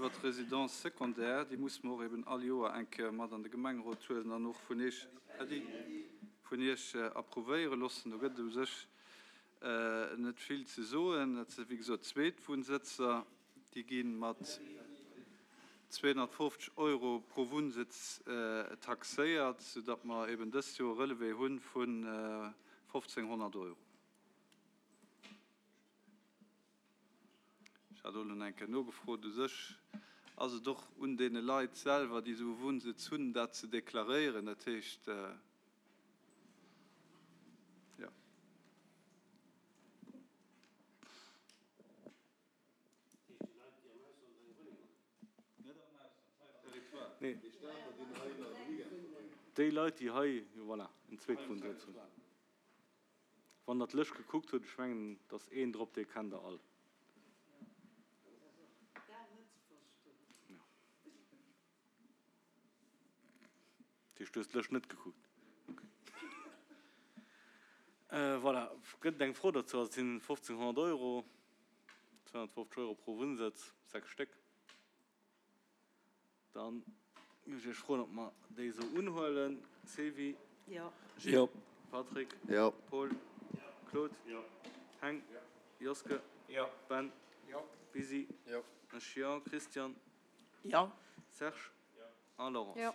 iwwert d'Résidences secondaires. Déi musse mer och eben all Joer eng Kéier mat an de Gemengerot huelen an och vun Iech, Äddi, vun Iech approuvéiere loossen. Do gëtt et u sech net vill ze soen. Dat si wéi gesot Zweetwunnsëtzer. Déi gi mat 250 Euro pro Wunnsëtz taxéiert, soudatt mer eben dëst Joer e Relevé hu vun 1.500 Euro. Ech hat och elo nach eng Kéier nogefrot. U sech ass et och un deene Leit selwer, déi esou e Wunnsëtz hunn, dat ze deklaréieren. Dat heescht, jo. Déi Leit, déi hei, voilà, en Zweetwunnsëtz hunn. Wann Der d'Lëscht gekuckt hutt, ech mengen, et ass een drop, dee kennt Der all. Dat heescht, du hues d'Lëscht net gekuckt? Ok. Voilà, gëtt et eng Fro dozou? Also et sinn 1.500 Euro, 250 Euro pro Wunnsëtz, 6 Stéck. Dann géif ech Iech froen, ob mer déi esou unhuelen. Sylvie? Jo. Gilles? Jo. Patrick? Jo. Paul? Claude? Jo. Heng? Joske? Jo. Ben? Jo. Bisi? Jo. Ech jo. Christian? Jo. Serge? Jo. A Laurence? Jo.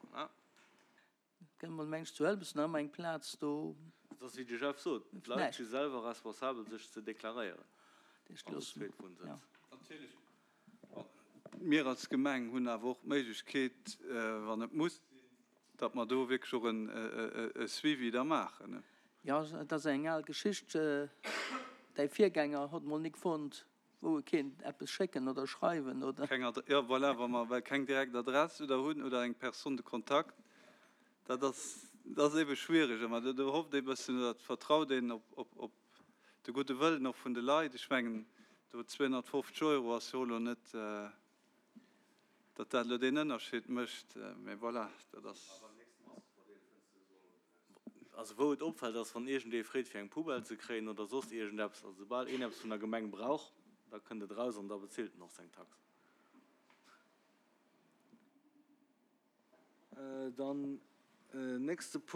Voilà. Gëtt mol mengs zu Ëlbes nach ëmmer eng Plaz do? Et ass wéi de Jeff sot, d'Leit si selwer responsabel sech ze deklaréieren als Zweetwunnsëtz. Natierlech, mir als Gemeng hunn awer och d'Méiglechkeet, wann et muss sinn, datt mer do wierklech och e Suivi da maachen. Jo, et ass eng al Geschicht. Däi Virgänger hott mol nik fonnt, wou e kéint eppes schécken oder schreiwen, oder? Keng Adress, jo voilà, wa mer well keng direkt Adress oder hunn oder eng Personne de contact, dat ass, dat ass eebe schwierig ëmmer. Do do hofft ee bëssen oder vertraut een op, op, op de gudde Wëllen och vun de Leit. Ech mengen, do 250 Euro ass jo elo net, datt dat elo deen Ënnerscheed mécht, mä voilà, dat ass. Also wou et opfält ass, wann iergendee freet fir eng Poubelle ze kréien oder soss iergendeppes, also soubal een eppes vun der Gemeng brauch, da kënnt et eraus an da bezilt en och seng Tax. Dann nächste Punkt.